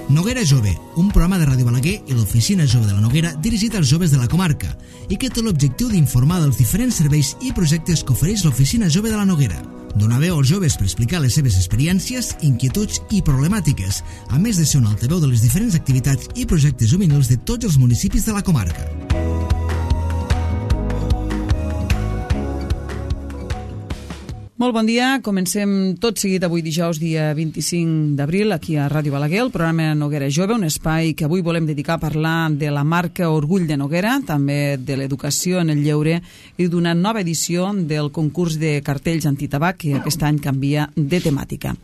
Noguera Jove, un programa de Ràdio Balaguer i l'Oficina Jove de la Noguera dirigit als joves de la comarca i que té l'objectiu d'informar dels diferents serveis i projectes que ofereix l'Oficina Jove de la Noguera. Donar veu als joves per explicar les seves experiències, inquietuds i problemàtiques, a més de ser un altaveu de les diferents activitats i projectes juvenils de tots els municipis de la comarca. Molt bon dia, comencem tot seguit avui dijous, dia 25 d'abril, aquí a Ràdio Balaguer, el programa Noguera Jove, un espai que avui volem dedicar a parlar de la marca Orgull de Noguera, també de l'educació en el lleure i d'una nova edició del concurs de cartells antitabac que aquest any canvia de temàtica.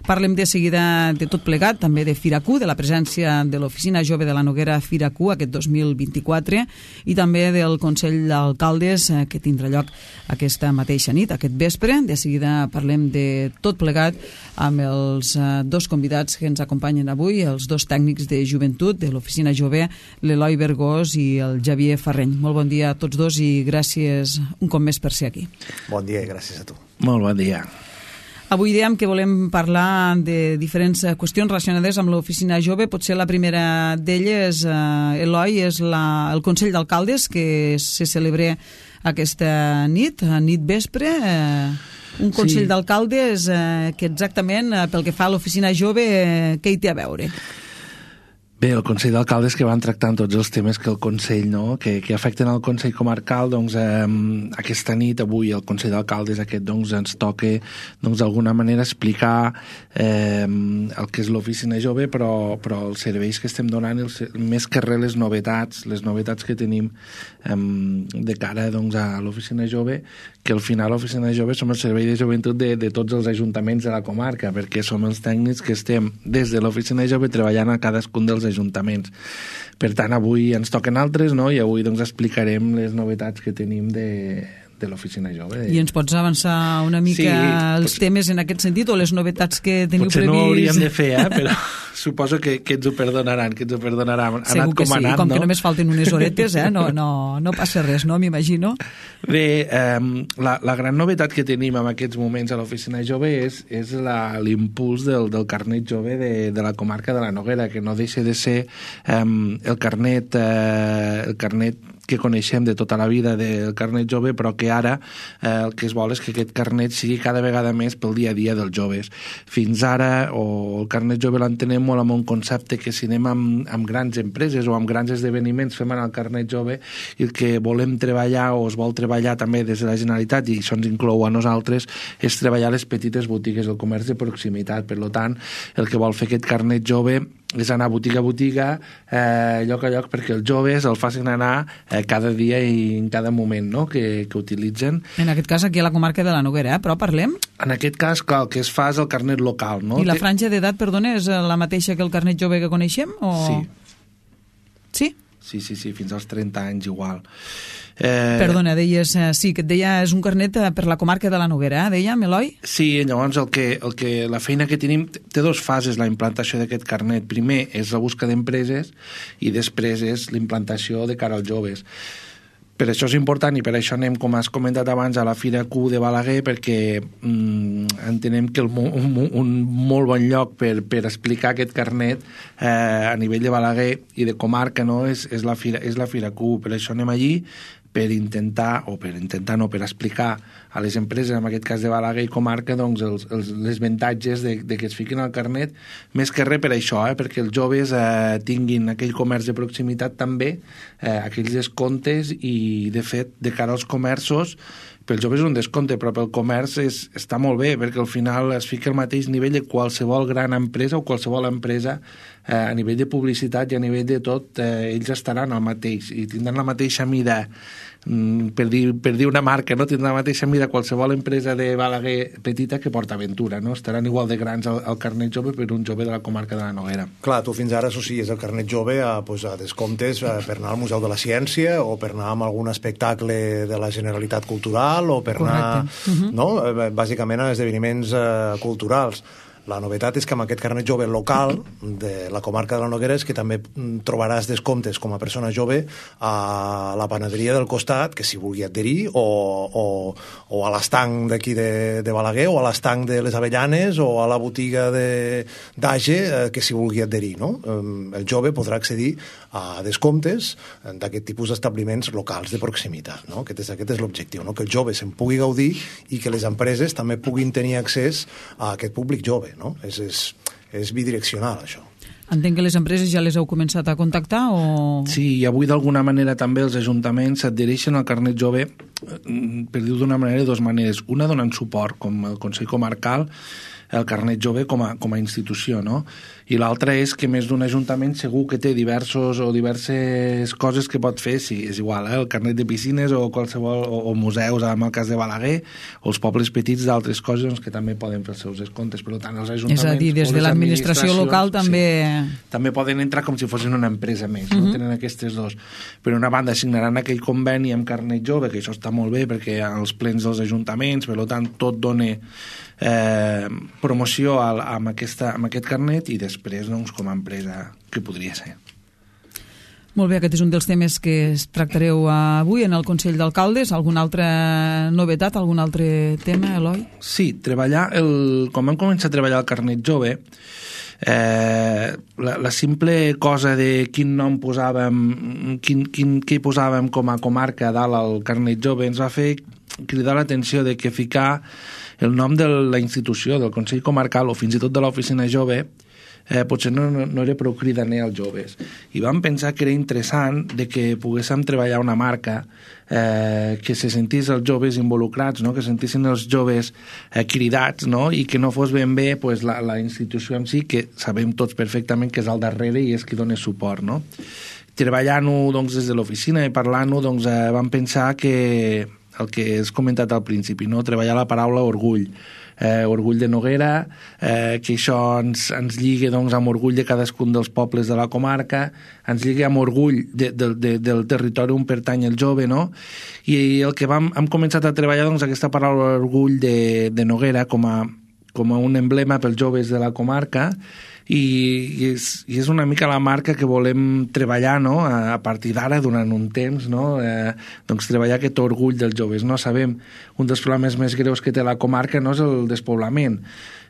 Parlem de seguida de tot plegat, també de Firacu, de la presència de l'Oficina Jove de la Noguera Firacu aquest 2024 i també del Consell d'Alcaldes que tindrà lloc aquesta mateixa nit, aquest vespre. De seguida parlem de tot plegat amb els dos convidats que ens acompanyen avui, els dos tècnics de joventut de l'Oficina Jove, l'Eloi Bergós i el Xavier Ferreny. Molt bon dia a tots dos i gràcies un cop més per ser aquí. Bon dia i gràcies a tu. Molt bon dia. Avui dèiem que volem parlar de diferents qüestions relacionades amb l'Oficina Jove. Potser la primera d'elles, Eloi, és el Consell d'Alcaldes que se celebra aquesta nit vespre. Un Consell d'Alcaldes que exactament, pel que fa a l'Oficina Jove, què hi té a veure? Bé, el Consell d'Alcaldes que van tractant tots els temes que el Consell, no?, que afecten al Consell Comarcal, doncs aquesta nit, avui, el Consell d'Alcaldes aquest, doncs, ens toca, doncs, d'alguna manera explicar el que és l'Oficina Jove, però els serveis que estem donant, més que res les novetats que tenim de cara, doncs, a l'Oficina Jove, que al final l'Oficina Jove som el servei de joventut de tots els ajuntaments de la comarca, perquè som els tècnics que estem des de l'Oficina Jove treballant a cadascun dels ajuntaments. Per tant, avui ens toquen altres, no? I avui doncs explicarem les novetats que tenim de l'Oficina Jove. I ens pots avançar una mica els temes en aquest sentit o les novetats que teniu previst? Potser no ho hauríem de fer, però suposo que ens ho perdonaran, Segur que sí, com que només falten unes horetes, no passa res, no? M'imagino. Bé, la gran novetat que tenim en aquests moments a l'Oficina Jove és l'impuls del carnet jove de la comarca de la Noguera, que no deixa de ser el carnet que coneixem de tota la vida del carnet jove, però que ara el que es vol és que aquest carnet sigui cada vegada més pel dia a dia dels joves. Fins ara, el carnet jove l'entenem molt amb un concepte que si anem amb grans empreses o amb grans esdeveniments fem anar el carnet jove i el que volem treballar o es vol treballar també des de la Generalitat, i això ens inclou a nosaltres, és treballar les petites botigues, el comerç de proximitat. Per tant, el que vol fer aquest carnet jove és anar botiga a botiga, lloc a lloc, perquè els joves el facin anar cada dia i en cada moment, no?, que utilitzen. En aquest cas aquí a la comarca de la Noguera, però parlem? En aquest cas, clar, el que es fa és el carnet local, no? I la franja d'edat, perdona, és la mateixa que el carnet jove que coneixem? O... Sí. Sí? Sí, fins als 30 anys igual. Perdona, deies, sí, que et deia és un carnet per la comarca de la Noguera, dèiem, Eloi? Sí, llavors la feina que tenim té dues fases, la implantació d'aquest carnet. Primer és la busca d'empreses i després és la implantació de cara als joves. Per això és important i per això anem, com has comentat abans, a la Firacu de Balaguer, perquè entenem que un molt bon lloc per explicar aquest carnet a nivell de Balaguer i de comarca, no, és la Firacu. Per això anem allí per explicar a les empreses, en aquest cas de Balaguer i comarca, doncs, les avantatges de que es fiquin al carnet, més que res per això, perquè els joves tinguin aquell comerç de proximitat també, aquells descomptes, i de fet, de cara als comerços, pels joves és un descompte, però pel comerç està molt bé, perquè al final es fica al mateix nivell de qualsevol gran empresa o qualsevol empresa a nivell de publicitat i a nivell de tot, ells estaran al mateix i tindran la mateixa mida, per dir una marca, no? Tindrà la mateixa mida qualsevol empresa de Balaguer petita que PortAventura, no? Estaran igual de grans al carnet jove per un jove de la comarca de la Noguera. Clar, tu fins ara associes el carnet jove a descomptes per anar al Museu de la Ciència o per anar a algun espectacle de la Generalitat Cultural o per anar, no? Bàsicament a esdeveniments culturals. La novetat és que amb aquest carnet jove local de la comarca de la Noguera és que també trobaràs descomptes com a persona jove a la panaderia del costat, que s'hi vulgui adherir, o a l'estanc d'aquí de Balaguer, o a l'estanc de les Avellanes, o a la botiga d'Age, que s'hi vulgui adherir, no? El jove podrà accedir a descomptes d'aquest tipus d'establiments locals de proximitat, no? Aquest és l'objectiu, no? Que el jove se'n pugui gaudir i que les empreses també puguin tenir accés a aquest públic jove, no? És bidireccional, això. Entenc que les empreses ja les heu començat a contactar o... Sí, i avui d'alguna manera també els ajuntaments s'adhereixen al carnet jove, per dir-ho d'una manera, de dues maneres. Una donant suport, com el Consell Comarcal, el carnet jove com a institució, no? I l'altra és que més d'un ajuntament segur que té diverses coses que pot fer, sí, és igual, el carnet de piscines o qualsevol, o museus, en el cas de Balaguer, o els pobles petits d'altres coses doncs, que també poden fer els seus descomptes. Per tant, els ajuntaments... És a dir, des de l'administració local també... Sí, també poden entrar com si fossin una empresa més, no? Tenen aquestes dos. Per una banda, signaran aquell conveni amb carnet jove, que això està molt bé perquè als plens dels ajuntaments, per tant, tot dona promoció amb aquest carnet i després, doncs, com a empresa que podria ser. Molt bé, aquest és un dels temes que tractareu avui en el Consell d'Alcaldes. Alguna altra novetat, algun altre tema, Eloi? Sí, com hem començat a treballar el carnet jove, la simple cosa de quin nom posàvem, què posàvem com a comarca dalt al carnet jove ens va fer cridar l'atenció de que ficar el nom de la institució, del Consell Comarcal o fins i tot de l'oficina jove potser no era prou cridaner als joves. I vam pensar que era interessant de que poguéssim treballar una marca que se sentís els joves involucrats, no? Que sentissin els joves cridats, no? I que no fos ben bé pues, la institució en si, que sabem tots perfectament que és al darrere i és qui dona suport, no? Treballant-ho doncs, des de l'oficina i parlant-ho doncs, vam pensar que el que has comentat al principi, no? Treballar la paraula orgull. Orgull de Noguera, que això ens lliga doncs, amb orgull de cadascun dels pobles de la comarca, ens lliga amb orgull del territori on pertany el jove, no? I el que hem començat a treballar doncs, aquesta paraula orgull de Noguera com a un emblema pels joves de la comarca i és una mica la marca que volem treballar, no? A partir d'ara, durant un temps, no? Doncs treballar aquest orgull dels joves, no? Sabem, un dels problemes més greus que té la comarca no és el despoblament.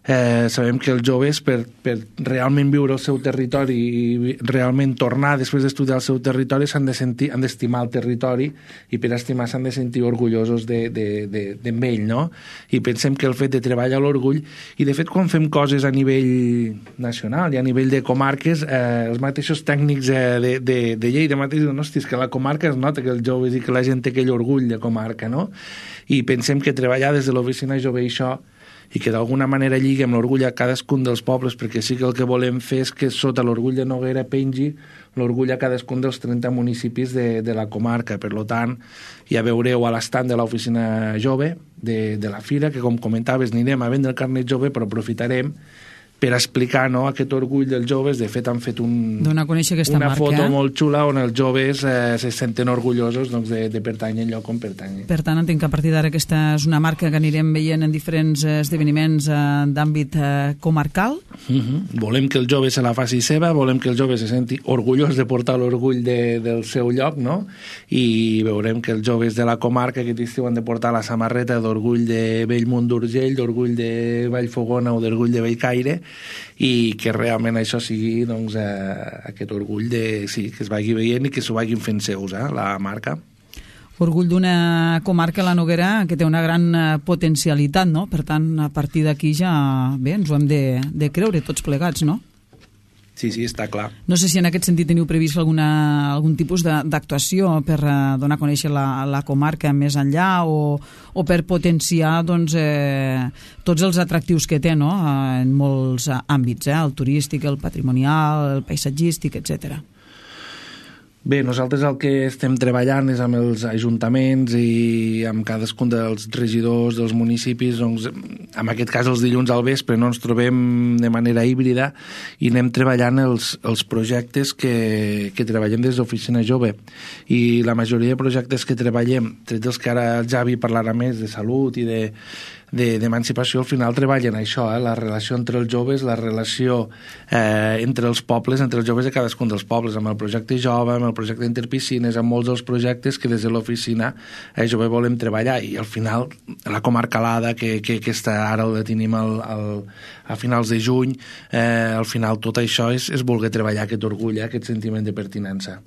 Sabem que els joves per realment viure el seu territori i realment tornar després d'estudiar el seu territori s'han d'estimar el territori i per estimar s'han de sentir orgullosos d'ell, no? I pensem que el fet de treballar l'orgull i de fet quan fem coses a nivell nacional i a nivell de comarques els mateixos tècnics de llei de mateix diuen, hòstia, que la comarca es nota que els joves i que la gent té aquell orgull de comarca, no? I pensem que treballar des de l'oficina jove i això i que d'alguna manera lligui amb l'orgull a cadascun dels pobles, perquè sí que el que volem fer és que sota l'orgull de Noguera pengi l'orgull a cadascun dels 30 municipis de la comarca. Per tant, ja veureu a l'estand de l'oficina jove de la fira, que com comentaves anirem a vendre el carnet jove, però aprofitarem per explicar, no, aquest orgull dels joves. De fet, han fet donar a conèixer aquesta una marca, foto molt xula on els joves se senten orgullosos doncs, de pertànyer al lloc on pertànyer. Per tant, entenc que a partir d'ara aquesta és una marca que anirem veient en diferents esdeveniments d'àmbit comarcal. Volem que el jove se la faci seva, volem que el jove se senti orgullós de portar l'orgull del seu lloc, no? I veurem que els joves de la comarca aquest estiu han de portar la samarreta d'orgull de Bellmunt d'Urgell, d'orgull de Vallfogona o d'orgull de Bellcaire, i que realment això sigui doncs, aquest orgull sí, que es vagi veient i que s'ho vagin fent seus, la marca. Orgull d'una comarca, la Noguera, que té una gran potencialitat, no? Per tant, a partir d'aquí ja bé, ens ho hem de creure tots plegats, no? Sí, està clar. No sé si en aquest sentit teniu previst algun tipus d'actuació per donar a conèixer la comarca més enllà o per potenciar doncs, tots els atractius que té, no? En molts àmbits, el turístic, el patrimonial, el paisatgístic, etcètera. Bé, nosaltres el que estem treballant és amb els ajuntaments i amb cadascun dels regidors dels municipis, doncs, en aquest cas els dilluns al vespre no ens trobem de manera híbrida i anem treballant els projectes que treballem des d'Oficina Jove. I la majoria de projectes que treballem, tret dels que ara el Javi parlarà més de salut i d'emancipació, al final treballen això, la relació entre els joves, la relació entre els pobles, entre els joves de cadascun dels pobles, amb el projecte jove, amb el projecte Interpiscines, amb molts dels projectes que des de l'oficina jove volem treballar, i al final la comarcalada que està ara la tenim a finals de juny, al final tot això és voler treballar aquest orgull, aquest sentiment de pertinença.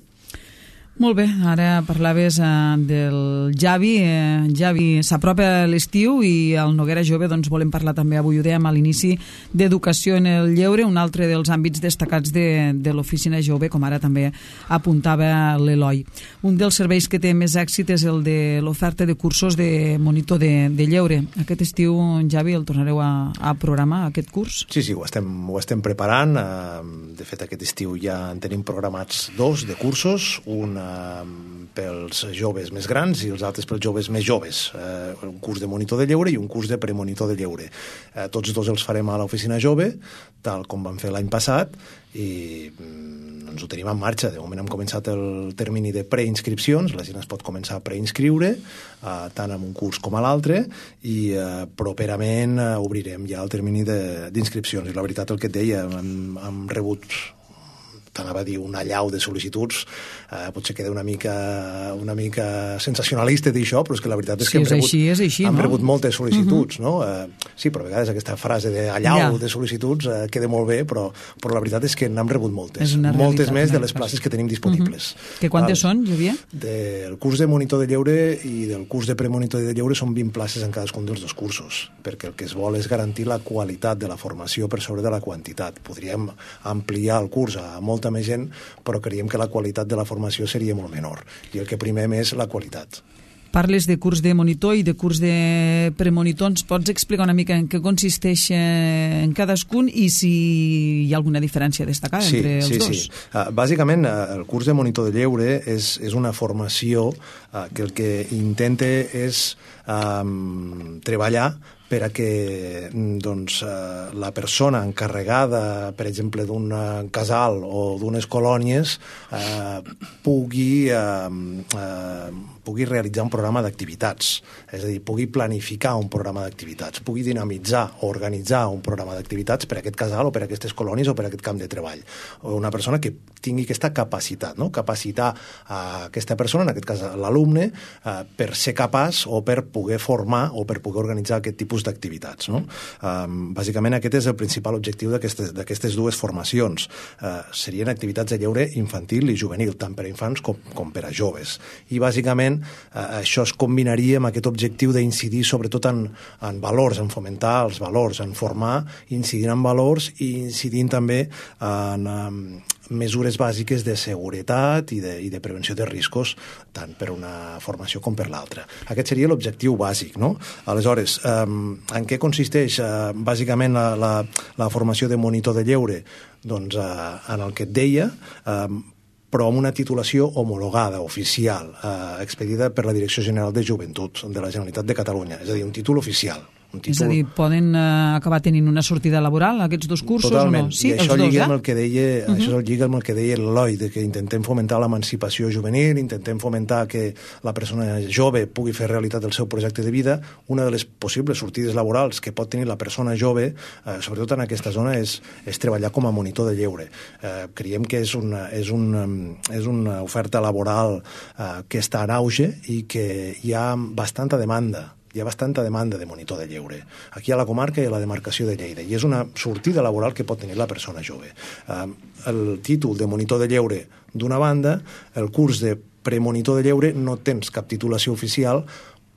Molt bé, ara parlaves del Javi. Javi, s'apropa l'estiu i al Noguera Jove volem parlar també, avui ho dèiem a l'inici, d'educació en el lleure, un altre dels àmbits destacats de l'oficina jove, com ara també apuntava l'Eloi. Un dels serveis que té més èxit és el de l'oferta de cursos de monitor de lleure. Aquest estiu, Javi, el tornareu a programar, aquest curs? Sí, ho estem preparant. De fet, aquest estiu ja en tenim programats 2 de cursos, un pels joves més grans i els altres pels joves més joves, un curs de monitor de lleure i un curs de premonitor de lleure. Tots dos els farem a l'oficina jove, tal com vam fer l'any passat, i ens ho tenim en marxa. De moment hem començat el termini de preinscripcions, la gent es pot començar a preinscriure tant en un curs com a l'altre, i properament obrirem ja el termini d'inscripcions. I la veritat, el que et deia, hem rebut, t'anava a dir, una allau de sol·licituds. Potser queda una mica sensacionalista dir això, però és que la veritat és que hem rebut moltes sol·licituds, no? Sí, però a vegades aquesta frase de allau de sol·licituds queda molt bé, però la veritat és que n'hem rebut moltes més de les places que tenim disponibles. Que quantes són, Javier? Del curs de monitor de lleure i del curs de premonitor de lleure són 20 places en cadascun dels dos cursos, perquè el que es vol és garantir la qualitat de la formació per sobre de la quantitat. Podríem ampliar el curs a molta més gent, però creiem que la qualitat de la formació seria molt menor, i el que primem és la qualitat. Parles de curs de monitor i de curs de premonitor. Ens pots explicar una mica en què consisteix en cadascun i si hi ha alguna diferència destacada entre els dos? Sí. Bàsicament, el curs de monitor de lleure és una formació que el que intenta és treballar per a que la persona encarregada, per exemple, d'un casal o d'unes colònies pugui realitzar un programa d'activitats, és a dir, pugui planificar un programa d'activitats, pugui dinamitzar o organitzar un programa d'activitats per a aquest casal o per a aquestes colònies o per a aquest camp de treball. O una persona que tingui aquesta capacitat, no? Capacitar a aquesta persona, en aquest cas l'alumne, per ser capaç o per poder formar o per poder organitzar aquest tipus d'activitats, no? Bàsicament aquest és el principal objectiu d'aquestes dues formacions. Serien activitats de lleure infantil i juvenil, tant per a infants com per a joves. I bàsicament això es combinaria amb aquest objectiu d'incidir sobretot en valors, en fomentar els valors, en formar, incidint en valors i incidint també en mesures bàsiques de seguretat i de prevenció de riscos, tant per una formació com per l'altra. Aquest seria l'objectiu bàsic, no? Aleshores, en què consisteix bàsicament la formació de monitor de lleure? Doncs en el que et deia, però amb una titulació homologada, oficial, expedida per la Direcció General de Joventut de la Generalitat de Catalunya, és a dir, un títol oficial. És a dir, poden acabar tenint una sortida laboral aquests dos cursos? Totalment, o no? Sí, i això lliga amb el que deia, això lliga amb el que deia l'Eloi, que intentem fomentar l'emancipació juvenil, intentem fomentar que la persona jove pugui fer realitat el seu projecte de vida. Una de les possibles sortides laborals que pot tenir la persona jove, sobretot en aquesta zona, és treballar com a monitor de lleure. Creiem que és una oferta laboral que està en auge i que hi ha bastanta demanda de monitor de lleure, aquí a la comarca i a la demarcació de Lleida, i és una sortida laboral que pot tenir la persona jove. El títol de monitor de lleure d'una banda, el curs de premonitor de lleure no tens cap titulació oficial,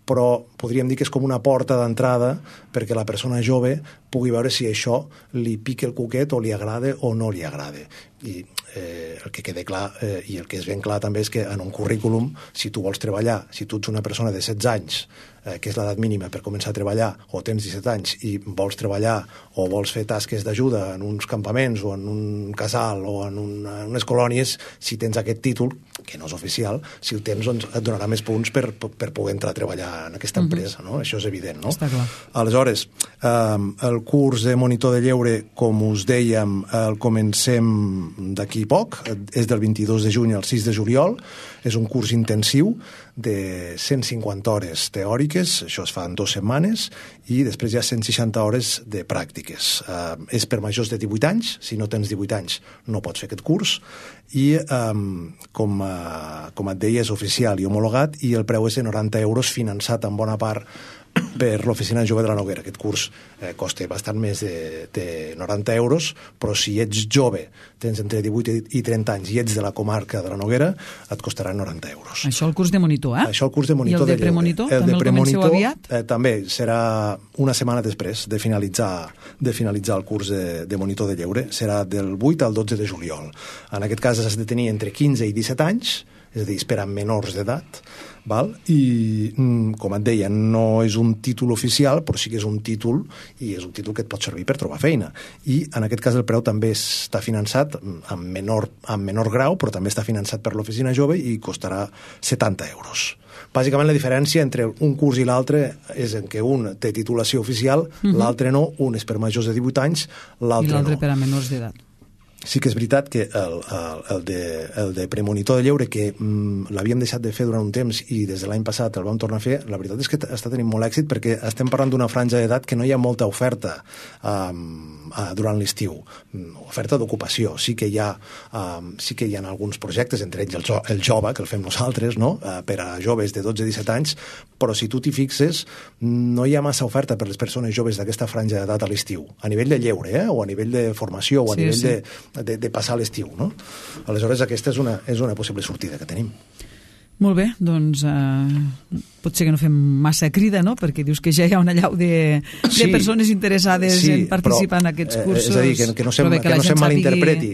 però podríem dir que és com una porta d'entrada perquè la persona jove pugui veure si això li pica el cuquet o li agrada o no li agrada. I el que queda clar i el que és ben clar també és que en un currículum, si tu vols treballar, si tu ets una persona de 16 anys, que és l'edat mínima per començar a treballar, o tens 17 anys i vols treballar o vols fer tasques d'ajuda en uns campaments o en un casal o en unes colònies, si tens aquest títol, que no és oficial, si el tens doncs et donarà més punts per poder entrar a treballar en aquesta empresa, no? Això és evident, no? Està clar. Aleshores, el curs de monitor de lleure, com us dèiem, el comencem d'aquí poc, és del 22 de juny al 6 de juliol, és un curs intensiu de 150 hores teòriques, això es fa en 2 setmanes, i després hi ha 160 hores de pràctiques. És per majors de 18 anys, si no tens 18 anys no pots fer aquest curs, i com et deia és oficial i homologat, i el preu és de 90 euros, finançat en bona part per l'Oficina Jove de la Noguera. Aquest curs costa bastant més de 90 euros, però si ets jove, tens entre 18 i 30 anys i ets de la comarca de la Noguera, et costarà 90 euros. Això el curs de monitor, eh? Això el curs de monitor. I el de premonitor? També el comenceu aviat? També serà una setmana després de finalitzar el curs de monitor de lleure. Serà del 8 al 12 de juliol. En aquest cas has de tenir entre 15 i 17 anys, és a dir, per a menors d'edat, val? I, com et deia, no és un títol oficial, però sí que és un títol, i és un títol que et pot servir per trobar feina. I, en aquest cas, el preu també està finançat en menor grau, però també està finançat per l'Oficina Jove i costarà 70 euros. Bàsicament, la diferència entre un curs i l'altre és en què un té titulació oficial, l'altre no, un és per majors de 18 anys, l'altre no. I l'altre per a menors d'edat. Sí que és veritat que el de premonitor de lleure, que l'havíem deixat de fer durant un temps i des de l'any passat el vam tornar a fer, la veritat és que està tenint molt èxit perquè estem parlant d'una franja d'edat que no hi ha molta oferta durant l'estiu. Oferta d'ocupació. Sí que hi ha alguns projectes, entre ells el Jove, que el fem nosaltres, no? Per a joves de 12-17 anys, però si tu t'hi fixes, no hi ha massa oferta per les persones joves d'aquesta franja d'edat a l'estiu. A nivell de lleure, o a nivell de formació, o a nivell de passar l'estiu, no? Aleshores, aquesta és una possible sortida que tenim. Molt bé, doncs potser que no fem massa crida, no? Perquè dius que ja hi ha una allau de persones interessades en participar en aquests cursos. És a dir, que no se malinterpreti.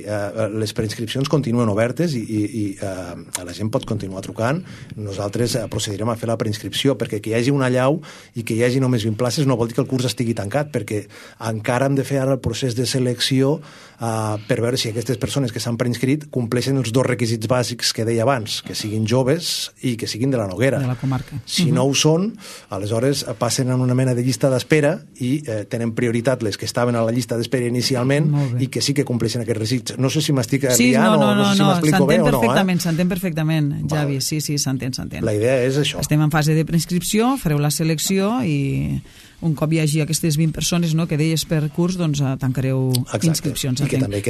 Les preinscripcions continuen obertes i la gent pot continuar trucant. Nosaltres procedirem a fer la preinscripció, perquè que hi hagi una allau i que hi hagi només 20 places no vol dir que el curs estigui tancat, perquè encara hem de fer ara el procés de selecció per veure si aquestes persones que s'han preinscrit compleixen els 2 requisits bàsics que deia abans, que siguin joves i que siguin de la Noguera. De la comarca. Si no ho són, aleshores passen en una mena de llista d'espera i tenen prioritat les que estaven a la llista d'espera inicialment i que sí que compleixen aquests requisits. No sé si m'estic riant o no sé si m'explico bé o no. S'entén perfectament, Javi. Sí, s'entén. La idea és això. Estem en fase de preinscripció, fareu la selecció i un cop hi hagi aquestes 20 persones, no, que deies per curs, doncs tancareu inscripcions.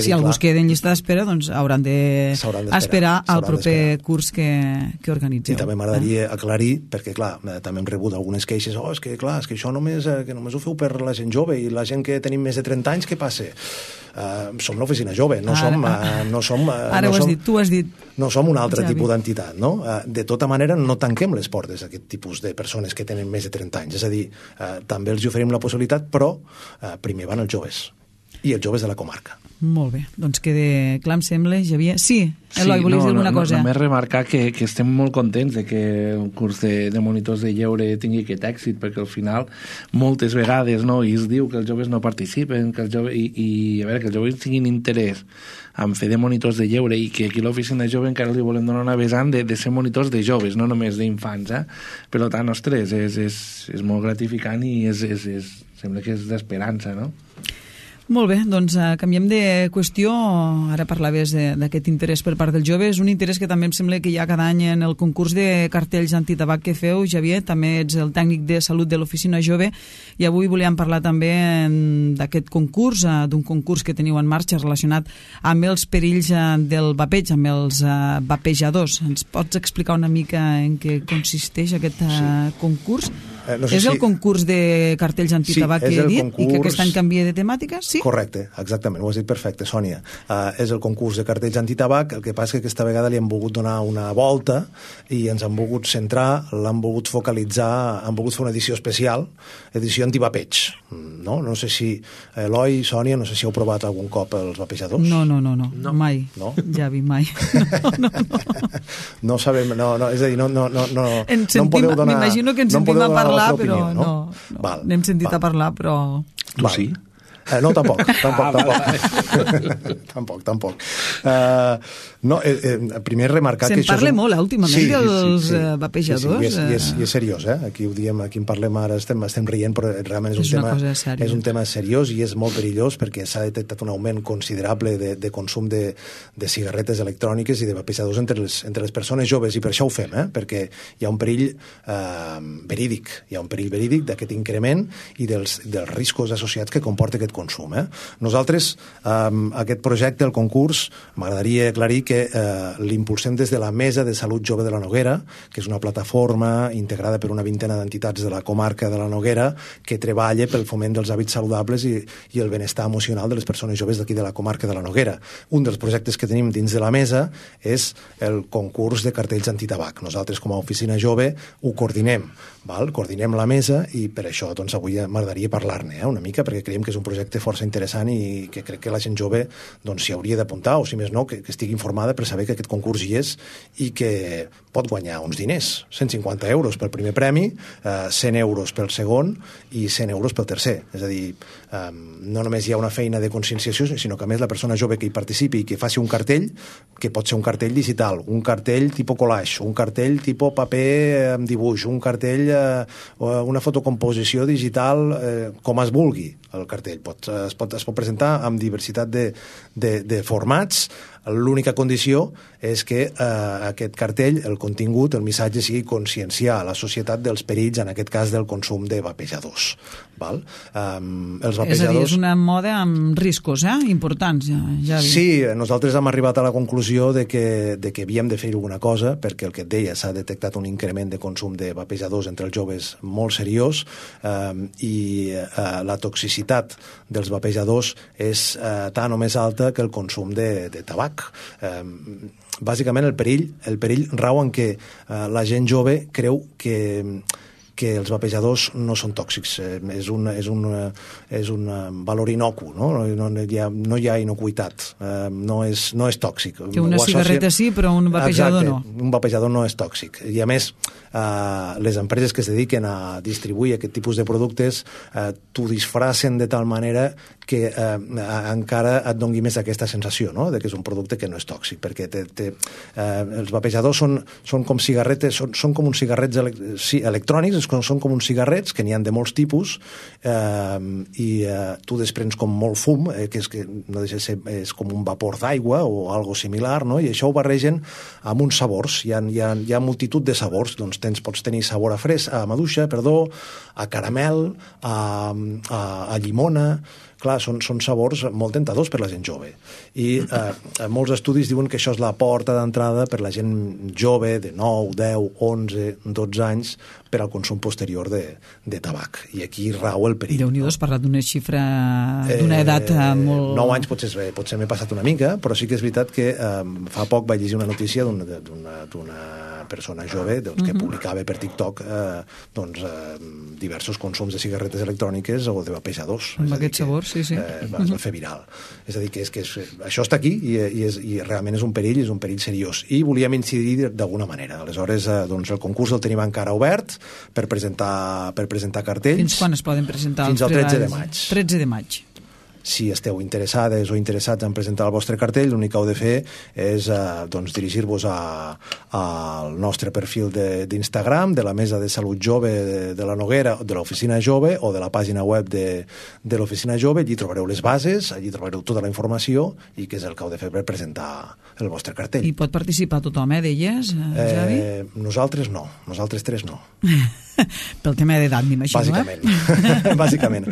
Si algú es queda en llista d'espera, doncs hauran d'esperar al proper curs que organitzeu. I també m'agradaria aclarir, perquè clar, també hem rebut algunes queixes, és que això només ho feu per la gent jove i la gent que tenim més de 30 anys, què passa? Som l'Oficina Jove, no som... Ara ho has dit, tu has dit. No som un altre tipus d'entitat, no? De tota manera, no tanquem les portes a aquest tipus de persones que tenen més de 30 anys. És a dir, també els oferim la possibilitat, però primer van els joves. I els joves de la comarca. Molt bé, doncs queda clar, em sembla, Javier. Sí, Eloi, volies dir alguna cosa? Només remarcar que estem molt contents de que un curs de monitors de lleure tingui aquest èxit, perquè al final moltes vegades es diu que els joves no participen, que els joves, i a veure, que els joves tinguin interès en fer de monitors de lleure, i que aquí a l'Oficina Jove encara li volem donar una vessant de ser monitors de joves, no només d'infants, Per tant, ostres, és molt gratificant i sembla que és d'esperança, no? Molt bé, doncs canviem de qüestió. Ara parlaves d'aquest interès per part dels joves, un interès que també em sembla que hi ha cada any en el concurs de cartells antitabac que feu, Javier, també ets el tècnic de salut de l'Oficina Jove, i avui volíem parlar també d'aquest concurs, d'un concurs que teniu en marxa relacionat amb els perills del vapeig, amb els vapejadors. Ens pots explicar una mica en què consisteix aquest concurs? És el concurs de cartells antitabac que he dit i que aquest any canvia de temàtica? Sí? Correcte, exactament, ho has dit perfecte, Sònia. És el concurs de cartells antitabac, el que passa és que aquesta vegada li hem volgut donar una volta i ens han volgut centrar, l'han volgut focalitzar, han volgut fer una edició especial, edició antivapeig. No sé si, Eloi, Sònia, no sé si heu provat algun cop els vapejadors. No, mai, Javi, mai. No sabem, és a dir, no em podeu donar... M'imagino que ens sentim a parlar, però no. N'hem sentit a parlar, però... Tu sí? No, tampoc. Tampoc. No, primer remarcar que això... Se'n parla molt, últimament, dels vapejadors. Sí, i és seriós, Aquí ho diem, aquí en parlem ara, estem rient, però realment és un tema seriós i és molt perillós perquè s'ha detectat un augment considerable de consum de cigarretes electròniques i de vapejadors entre les persones joves, i per això ho fem, perquè hi ha un perill verídic d'aquest increment i dels riscos associats que comporta aquest consum. Nosaltres, aquest projecte, el concurs, m'agradaria aclarir que l'impulsem des de la Mesa de Salut Jove de la Noguera, que és una plataforma integrada per una vintena d'entitats de la comarca de la Noguera que treballa pel foment dels hàbits saludables i el benestar emocional de les persones joves d'aquí de la comarca de la Noguera. Un dels projectes que tenim dins de la mesa és el concurs de cartells antitabac. Nosaltres, com a oficina jove, ho coordinem. Coordinem la mesa i per això avui m'agradaria parlar-ne una mica, perquè creiem que és un projecte força interessant i que crec que la gent jove s'hi hauria d'apuntar, o si més no, que estigui informada per saber que aquest concurs hi és i que pot guanyar uns diners. 150 euros pel primer premi, 100 euros pel segon i 100 euros pel tercer. És a dir, no només hi ha una feina de conscienciació, sinó que a més la persona jove que hi participi i que faci un cartell, que pot ser un cartell digital, un cartell tipus collage, un cartell tipus paper amb dibuix, un cartell, una fotocomposició digital, com es vulgui el cartell. Es pot presentar amb diversitat de formats. L'única condició és que aquest cartell, el contingut, el missatge sigui conscienciar a la societat dels perills, en aquest cas del consum de vapejadors. Els vapejadors... És a dir, és una moda amb riscos importants. Ja sí, nosaltres hem arribat a la conclusió de que havíem de fer alguna cosa, perquè el que et deia, s'ha detectat un increment de consum de vapejadors entre els joves molt seriós, i la toxicitat dels vapejadors és tan o més alta que el consum de tabac. Bàsicament el perill rau en que la gent jove creu que els vapejadors no són tòxics. És un valor inocu, no hi ha inocuïtat, no és tòxic. Que una cigarreta sí, però un vapejador no. Un vapejador no és tòxic. I a més, les empreses que es dediquen a distribuir aquest tipus de productes t'ho disfracen de tal manera que encara et doni més aquesta sensació, no?, de que és un producte que no és tòxic, perquè els vapejadors són com cigarretes, són com uns cigarrets electrònics, són com uns cigarrets, que n'hi ha de molts tipus, i tu desprens com molt fum, que no deixa de ser, és com un vapor d'aigua o algo similar, no?, i això ho barregen amb uns sabors. Hi ha multitud de sabors. Doncs pots tenir sabor a maduixa, a caramel, a llimona. Clar, són sabors molt tentadors per la gent jove. I molts estudis diuen que això és la porta d'entrada per la gent jove de 9, 10, 11, 12 anys per al consum posterior de tabac. I aquí rau el perill. Déu-n'hi-do, has parlat d'una xifra, d'una edat molt... 9 anys potser m'he passat una mica, però sí que és veritat que fa poc vaig llegir una notícia d'una persona jove que publicava per TikTok diversos consums de cigarretes electròniques o de vapejadors. Amb aquest sabor, sí. Es va fer viral. És a dir, que això està aquí i realment és un perill seriós. I volíem incidir d'alguna manera. Aleshores, el concurs el tenim encara obert per presentar cartells. Fins quan es poden presentar? Fins al 13 de maig. 13 de maig. Si esteu interessades o interessats en presentar el vostre cartell, l'únic que heu de fer és dirigir-vos al nostre perfil d'Instagram, de la Mesa de Salut Jove de la Noguera, de l'Oficina Jove, o de la pàgina web de l'Oficina Jove. Allí trobareu les bases, allí trobareu tota la informació i què és el que heu de fer per presentar el vostre cartell. I pot participar tothom, deies, Javi? Nosaltres no, nosaltres tres no. Pel tema d'edat, m'imagino, Bàsicament.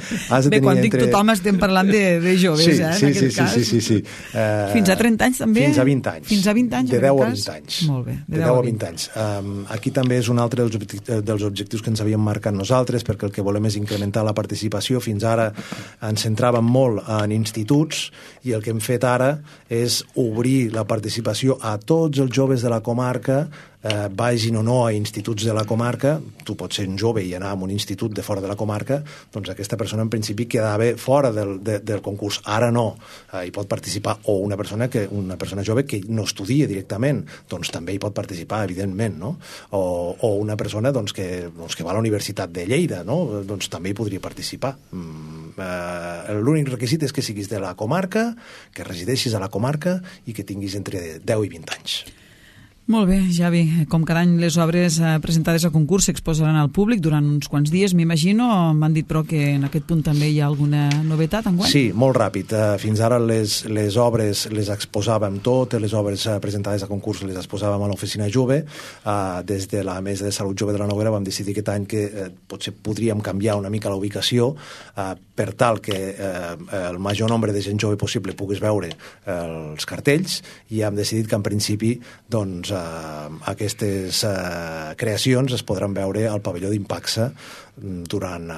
Bé, quan dic tothom estem parlant de joves, en aquest cas. Sí. Fins a 30 anys, també? Fins a 20 anys. Fins a 20 anys, de 10 a 20 anys. Molt bé. De 10 a 20 anys. Aquí també és un altre dels objectius que ens havíem marcat nosaltres, perquè el que volem és incrementar la participació. Fins ara ens centràvem molt en instituts i el que hem fet ara és obrir la participació a tots els joves de la comarca, vagin o no a instituts de la comarca. Tu pots ser un jove i anar a un institut de fora de la comarca, doncs aquesta persona en principi quedava fora del concurs. Ara no, hi pot participar, o una persona jove que no estudia directament, doncs també hi pot participar, evidentment, no? O una persona que va a la Universitat de Lleida, no? Doncs també hi podria participar. l'únic requisit és que siguis de la comarca, que resideixis a la comarca i que tinguis entre 10 i 20 anys. Molt bé, Javi. Com cada any, les obres presentades a concurs s'exposaran al públic durant uns quants dies, m'imagino. M'han dit, però, que en aquest punt també hi ha alguna novetat enguany? Sí, molt ràpid. Fins ara les obres les exposàvem totes, les obres presentades a concurs les exposàvem a l'Oficina Jove. Des de la Mesa de Salut Jove de la Noguera vam decidir aquest any que potser podríem canviar una mica la ubicació per tal que el major nombre de gent jove possible pogués veure els cartells, i hem decidit que en principi doncs aquestes creacions es podran veure al pavelló d'Impaxa durant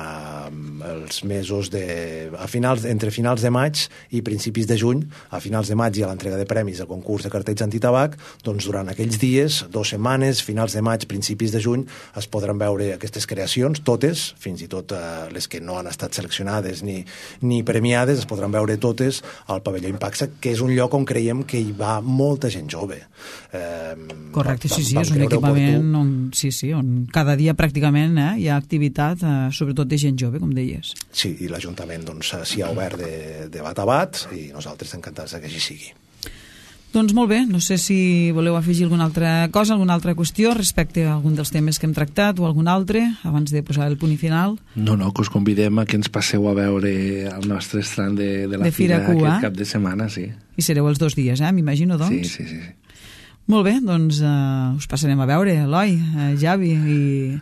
els mesos entre finals de maig i principis de juny. A finals de maig hi ha l'entrega de premis del concurs de cartells antitabac, doncs durant aquells dies, 2 setmanes, finals de maig, principis de juny, es podran veure aquestes creacions, totes, fins i tot les que no han estat seleccionades ni premiades, es podran veure totes al pavelló Impaxa, que és un lloc on creiem que hi va molta gent jove. Correcte, sí, és un equipament on cada dia pràcticament hi ha activitat, sobretot de gent jove, com deies. Sí, i l'Ajuntament s'hi ha obert de bat a bat, i nosaltres encantats que així sigui. Doncs molt bé, no sé si voleu afegir alguna altra cosa, alguna altra qüestió respecte a algun dels temes que hem tractat o algun altre, abans de posar el punt i final. No, que us convidem a que ens passeu a veure el nostre estrany de la Fira aquest cap de setmana, sí. I sereu els 2 dies, m'imagino, doncs? Sí. Molt bé, doncs us passarem a veure, Eloi, Javi, i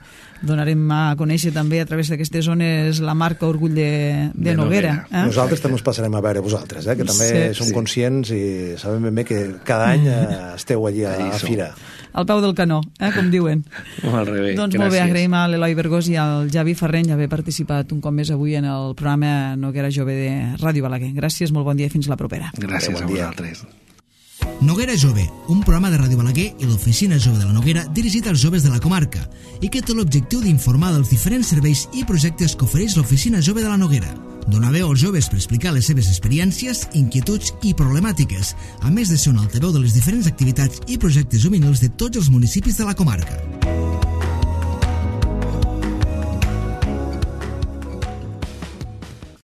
donarem a conèixer també a través d'aquestes zones la marca Orgull de Noguera. Nosaltres també us passarem a veure vosaltres, que també som conscients i sabem ben bé que cada any esteu allí a la Fira. Al peu del canó, com diuen. Molt bé, doncs molt bé, agraïm a l'Eloi Bergós i al Javi Ferreny haver participat un cop més avui en el programa Noguera Jove de Ràdio Balaguer. Gràcies, molt bon dia i fins la propera. Gràcies a vosaltres. Noguera Jove, un programa de Ràdio Balaguer i l'Oficina Jove de la Noguera dirigit als joves de la comarca i que té l'objectiu d'informar dels diferents serveis i projectes que ofereix l'Oficina Jove de la Noguera. Donar veu als joves per explicar les seves experiències, inquietuds i problemàtiques, a més de ser un altaveu de les diferents activitats i projectes juvenils de tots els municipis de la comarca.